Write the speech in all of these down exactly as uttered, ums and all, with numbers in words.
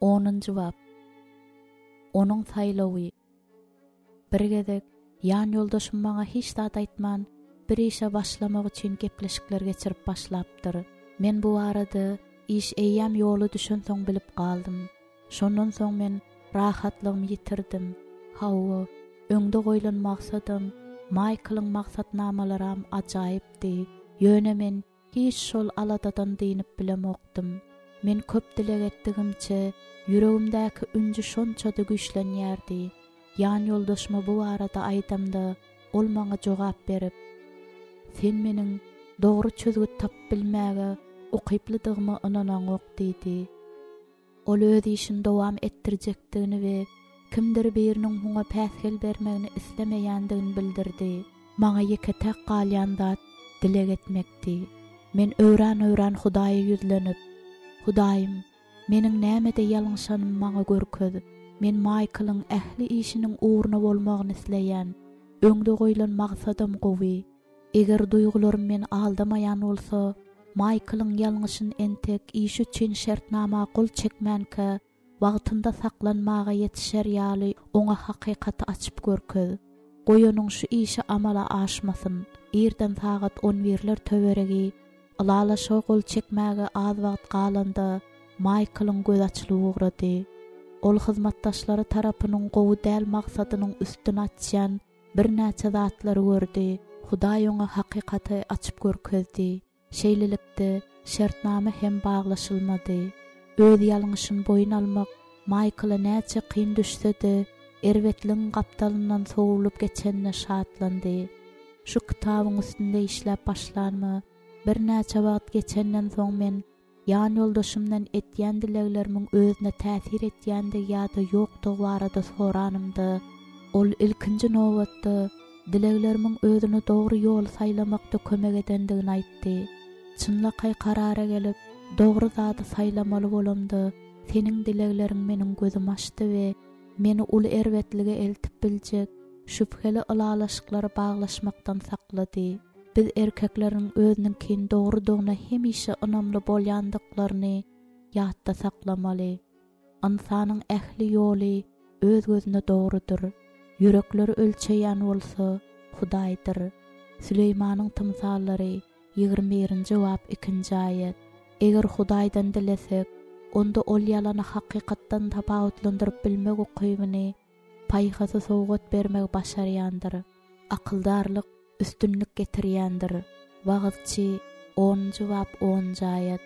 Onunjy bap. Onuň saýlawy. Bir gezek ýan ýoldaşym maňa hiç zat aýtman, bir işe başlamak üçin gepleşikler geçirip başlapdyr. Men bu barada iş eýýäm ýola düşensoň bilip galdym. Şondan soň men rahatlygymy ýitirdim. Hawa, öňde goýlan maksadym, Maýklyň maksatnamalaram ajaýypdy. Ýöne men hiç şol aladadan dynyp bilemokdym. Men köp dileg etdigimçe, ýüregimdäki ünji şonça-da güýçlenýärdi. Ýan ýoldaşyma bu barada aýdamda, ol maňa jogap berip, "Sen meniň dogry çözgüt tapyp bilmäge ukyplydygyma ynanaňok" diýdi. Ol öz işini dowam etdirjekdigini we kimdir biriniň muňa päsgel bermegini islemeýändigini bildirdi. Maňa ýeke-täk galýan zat dileg etmekdi. Men öwran-öwran Hudaýa ýüzlenip, "Hudaýym, meniň nämede ýalňyşanymy maňa görkez. Men Maýklyň ähli işiniň ugruna bolmagyny isleýän. Öňde goýlan maksadym gowy. Eger duýgularym meni aldamaýan bolsa, Maýklyň ýalňyşyny entek iş üçin şertnama gol çekmänkä wagtynda saklanmaga ýetişer ýaly oňa hakykaty açyp görkez. Goý onuň şu işi amala aşmasyn. Irden sagat on birler töweregi ylalaşyga gol çekmäge az wagt galanda Maýklyň gözi açylyp ugrady. Ol hyzmatdaşlary tarapynyň gowy däl maksadynyň üstüni açýan birnäçe zatlary gördi. Hudaý oňa hakykaty açyp görkezdi. Şeýlelikde şertnama hem baglaşylmady. Öz ýalňyşyny boýun almak Maýkla näçe kyn düşse-de, erbetligiň gapdalyndan sowulyp geçenine şatlandy. Şu kitabyň üstünde işläp başlanyma birnäçe wagt geçenden soň men ýan ýoldaşymdan etýän dileglerimiň özüne täsir etýändigi ýa-da ýokdugy barada soranymda, ol ilkinji nobatda dileglerimiň özüne dogry ýol saýlamakda kömek edendigini aýtdy. Çynlakaý karara gelip, dogry zady saýlamaly bolamda, seniň dilegleriň meniň gözümi açdy we meni uly erbetlige eltip biljek şübheli ylalaşyklary baglaşmakdan saklady. Biz erkekleriň özüniňkin dogrudygyna hemişe ynamly bolýandyklaryny ýatda saklamaly. Ynsanyň ähli ýoly öz gözüne dogrudyr. Ýürekleri ölçeýän bolsa Hudaýdyr. Süleýmanyň tymsallary ýigrimi birinji bap ikinji aýat. Eger Hudaýdan dilesek, onda ol ýalany hakykatdan tapawutlandyryp bilmek ukybyny paýhasy sowgat bermegi başarýandyr. Akyldarlyk üstünlik getirýändir. Wagyzçy onunjy bap onunjy aýat.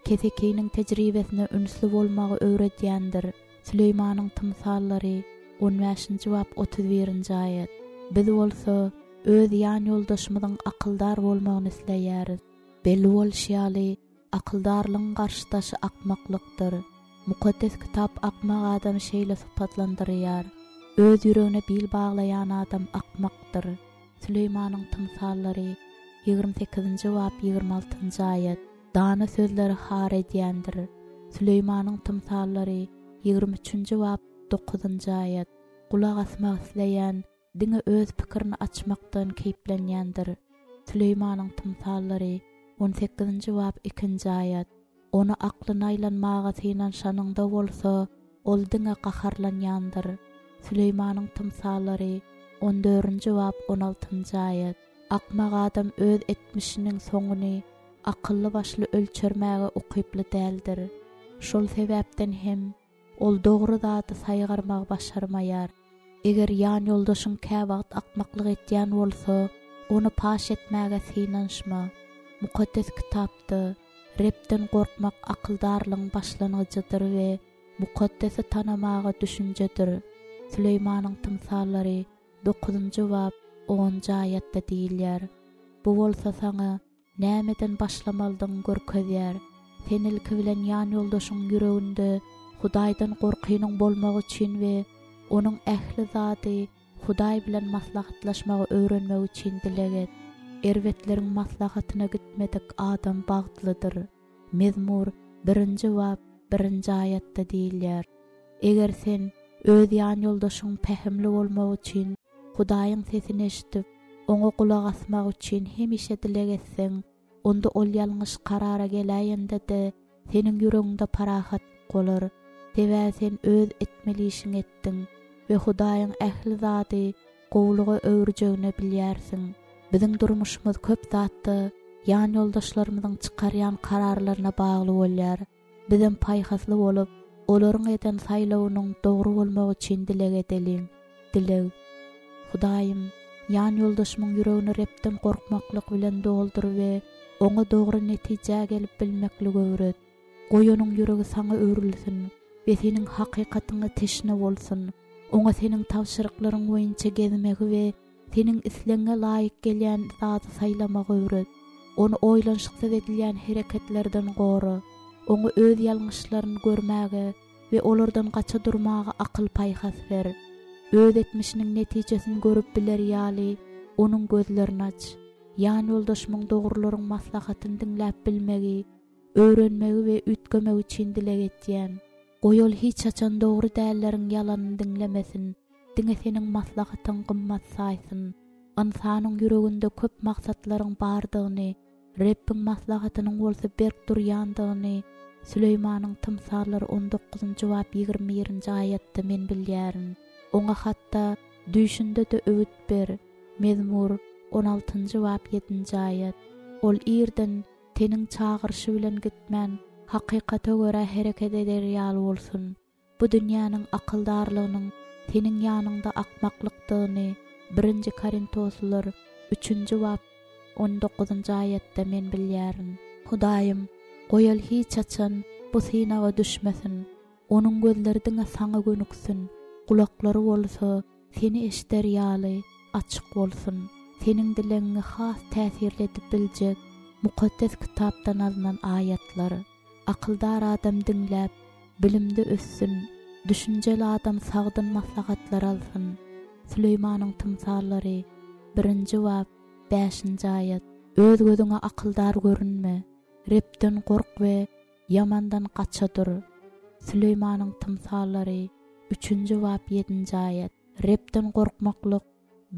Kesekiniň tejribesine ünsli bolmagy öwredýändir. Süleýmanyň tymsallary on bäşinji bap otuz birinji aýat. Biz bolsa öz ýan ýoldaşymyzyň akyldar bolmagyny isleýäris. Belli bolşy ýaly, akyldarlygyň garşydaşy akmaklykdyr. Mukaddes kitap akmak adamy şeýle sypatlandyrýar. Öz ýüregine bil baglaýan adam akmakdyr. Süleýmanyň tymsallary ýigrimi sekizinji bap ýigrimi altynjy aýat. Dana sözleri har edýändir. Süleýmanyň tymsallary ýigrimi üçünji bap dokuzynjy aýat. Gulak asmak isleýän diňe öz pikirini açmakdan keýplenýändir. Süleýmanyň tymsallary on sekizinji bap ikinji aýat. Ony aklyna aýlanmaga synanyşanyňda bolsa, ol diňe gaharlanýandyr. Süleýmanyň tymsallary on dördünji bap on altynjy aýat. Akmak adam öz etmişiniň soňuny akylly başly ölçermäge ukyply däldir. Şol sebäpden hem ol dogry zady saýgarmagy başarmaýar. Eger ýan ýoldaşyň käwagt akmaklyk etýän bolsa, ony paş etmäge synanyşma. Mukaddes kitapda Rebden gorkmak akyldarlygyň başlangyjydyr we mukaddesi tanamaga düşünjedir. Süleýmanyň tymsallary dokuzynjy bap onunjy aýatda diýilýär. Bu bolsa saňa nämeden başlamalydygyňy görkezýär. Sen ilki bilen ýan ýoldaşyň ýüreginde Hudaýdan gorkynyň bolmagy üçin we onuň ähli zady Hudaý bilen maslahatlaşmagy öwrenmek üçin dileg et. Erbetleriň maslahatyna gitmedik adam bagtlydyr. Mezmur birinji bap birinji aýatda diýilýär. Eger sen öz ýan ýoldaşyň pähimli bolmagy üçin Hudaýyň sesini eşidip, oňa gulak asmak üçin hemişe dileg etseň, onda ol ýalňyş karara geläýende-de seniň ýüregiňde parahatlyk bolar. Sebäbi sen öz etmeli işiňi etdiň we Hudaýyň ähli zady gowulyga öwürjegini bilýärsiň. Biziň durmuşymyz köp zatda ýan ýoldaşlarymyzyň çykarýan kararlaryna bagly bolýar. Bizem paýhasly bolup, olaryň eden saýlawynyň dogry bolmagy üçin dileg edeliň. Dileg. Hudaýym, ýan ýoldaşymyň ýüregini Rebden gorkmaklyk bilen doldur we oňa dogry netijä gelip bilmekligi öwret. Goý onuň ýüregi saňa öwrülsin we seniň hakykatyňa teşne bolsun. Oňa seniň tabşyryklaryň boýunça gezmegi we seniň islegiňe laýyk gelýän zady saýlamagy öwret. Ony oýlanyşyksyz edilýän hereketlerden gora. Oňa öz ýalňyşlaryny görmäge we olardan gaça durmaga akyl paýhas ber. Öz etmişiniň netijesini görüp biler ýaly, onuň gözlerini aç. Ýan ýoldaşymyň dogrularyň maslahatyny diňläp bilmegi, öwrenmegi we üýtgemegi üçin dileg etýän. Goý ol hiç haçan dogry dälleriň ýalanyny diňlemesin, diňe seniň maslahatyň gymmat saýsyn. Ynsanyň ýüreginde köp maksatlaryň bardygyny, Rebbiň maslahatynyň bolsa berk durýandygyny Süleýmanyň Tymsallary on dokuzynjy bap ýigrimi birinji aýatda men bilýärin. Oňa hatda düýşünde-de öwüt ber. Mezmur on altynjy bap ýedinji aýat. Ol irden teniň çagyryşy bilen gitmän, hakykata görä hereket eder ýaly bolsun. Bu dünýäniň akyldarlygynyň seniň ýanyňda akmaklykdygyny birinji Korintoslar üçünji bap on dokuzynjy aýatda men bilýärin. Hudaýym, goý ol hiç haçan bu synaga düşmesin. Onuň gözleri diňe saňa gönüksün, gulaklary bolsa seni eşder ýaly açyk bolsun. Seniň dilegiňi has täsirli edip biljek mukaddes kitapdan alynan aýatlar. Akyldar adam diňläp, bilimde össün, düşünjeli adam sagdyn maslahatlar alsyn. Süleýmanyň tymsallary birinji bap bäşinji aýat. Öz gözüňe akyldar görünme, Rebden gork we ýamandan gaça dur. Süleýmanyň tymsallary üçünji bap ýedinji aýat. Rebden gorkmaklyk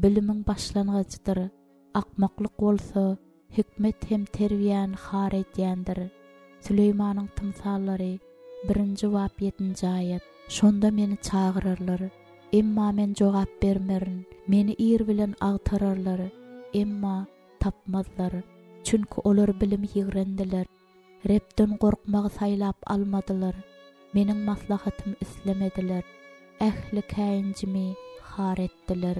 bilimiň başlangyjydyr. Akmaklyk bolsa hikmet hem terbiýäni har edýändir. Süleýmanyň tymsallary birinji bap ýedinji aýat. Şonda meni çagyrarlar, emma men jogap bermerin. Meni ir bilen agtararlar, emma tapmazlar. Çünki olar bilimi ýigrendiler. Rebden gorkmagy saýlap almadylar. Meniň maslahatymy islemediler. Ähli käýinjimi har etdiler.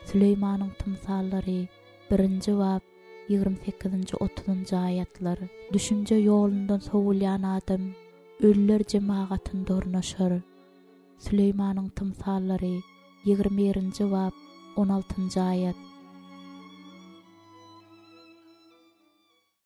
Süleýmanyň tymsallary birinji bap ýigrimi sekizinji otuzynjy aýatlar. Düşünje ýolundan sowulýan adam ölüler jemagatynda ornaşar. Süleýmanyň tymsallary ýigrimi birinji bap on altynjy aýat.